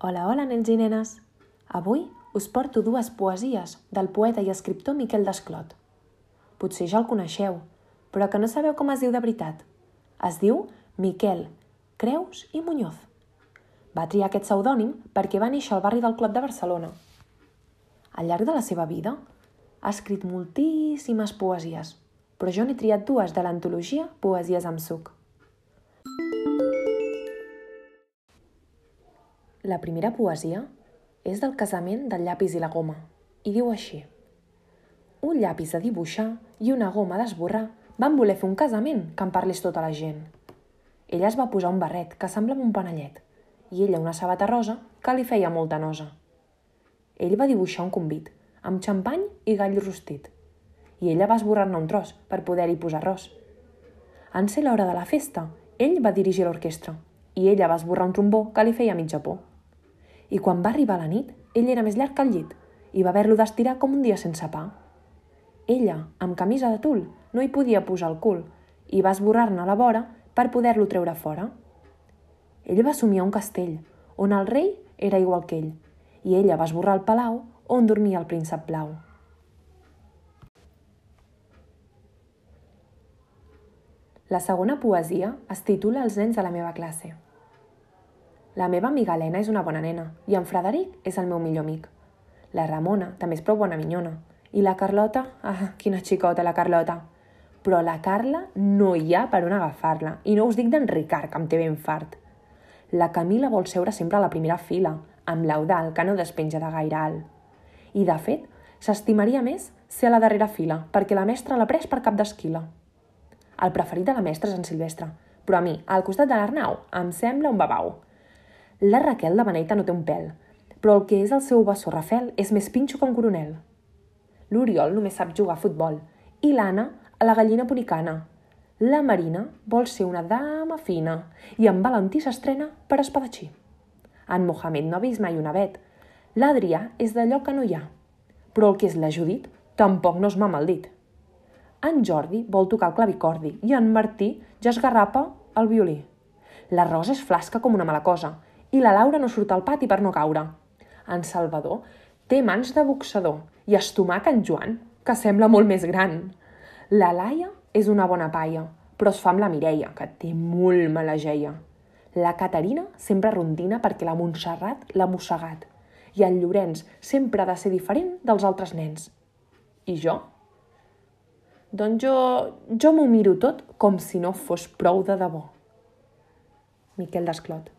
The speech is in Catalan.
Hola, hola, nens i nenes! Avui us porto dues poesies del poeta i escriptor Miquel Desclot. Potser ja el coneixeu, però que no sabeu com es diu de veritat. Es diu Miquel Creus i Muñoz. Va triar aquest pseudònim perquè va néixer al barri del Clot de Barcelona. Al llarg de la seva vida ha escrit moltíssimes poesies, però jo n'he triat dues de l'antologia Poesies amb suc. La primera poesia és del casament del llapis i la goma, i diu així. Un llapis de dibuixar i una goma d'esborrar van voler fer un casament que en parlés tota la gent. Ella es va posar un barret que semblava un panellet, i ella una sabata rosa que li feia molta nosa. Ell va dibuixar un convit, amb xampany i gall rostit, i ella va esborrar-ne un tros per poder-hi posar arròs. En ser l'hora de la festa, ell va dirigir l'orquestra, i ella va esborrar un trombó que li feia mitja por. I quan va arribar la nit, ell era més llarg que el llit i va haver-lo d'estirar com un dia sense pa. Ella, amb camisa de tul, no hi podia posar el cul i va esborrar-ne la vora per poder-lo treure fora. Ell va somiar un castell, on el rei era igual que ell, i ella va esborrar el palau on dormia el príncep blau. La segona poesia es titula Els nens de la meva classe. La meva amiga Helena és una bona nena i en Frederic és el meu millor amic. La Ramona també és prou bona minyona. I la Carlota, quina xicota la Carlota. Però la Carla no hi ha per on agafar-la. I no us dic d'en Ricard, que em té ben fart. La Camila vol seure sempre a la primera fila, amb l'Eudald, que no despenja de gaire alt. I de fet, s'estimaria més ser a la darrera fila, perquè la mestra l'ha pres per cap d'esquila. El preferit de la mestra és en Silvestre, però a mi, al costat de l'Arnau, em sembla un babau. La Raquel de beneita no té un pèl, però el que és el seu bessó Rafel és més pinxo que un coronel. L'Oriol només sap jugar a futbol i l'Anna a la gallina punicana. La Marina vol ser una dama fina i en Valentí s'estrena per espadatxí. En Mohamed no ha vist mai una vet. L'Adrià és d'allò que no hi ha, però el que és la Judit tampoc no es mama el dit. En Jordi vol tocar el clavicordi i en Martí ja esgarrapa el violí. La Rosa és flasca com una mala cosa i la Laura no surt al pati per no caure. En Salvador té mans de boxador i estomac en Joan, que sembla molt més gran. La Laia és una bona paia, però es fa amb la Mireia, que té molt mala geia. La Caterina sempre rondina perquè la Montserrat l'ha mossegat i el Llorenç sempre ha de ser diferent dels altres nens. I jo? Doncs jo m'ho miro tot com si no fos prou de debò. Miquel Desclot.